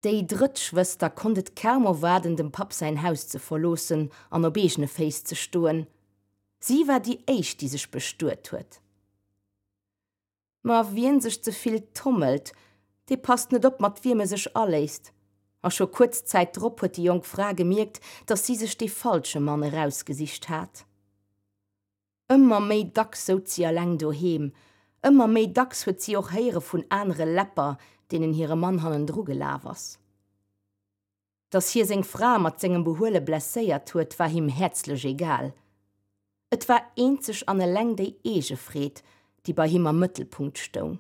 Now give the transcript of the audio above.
Déi drëtt Schwëster konnt et kaum erwaarden, dem Papp säin Haus ze verloossen an op eegene Féiss ze stoen. Si war déi éischt, déi sech bestuet huet. Ma wien sech ze vill tommelt, dee passt net op, mat wiem e sech aléisst. A scho kuerz Zäit drop huet déi jonk Fra gemierkt, datt si sech dee falsche Mann erausgesicht hat. Ëmmer méi dacks souz si eleng doheem, ëmmer méi dacks huet si och héiere vun anere Läpper, deenen hire Mann hannendru gelaf ass. Datt hie seng Fra mat sengem Behuele blesséiert huet, war him häerzlech egal. Et war eenzeg an eleng déi eege Freed, déi bei him am Mëttelpunkt stoung.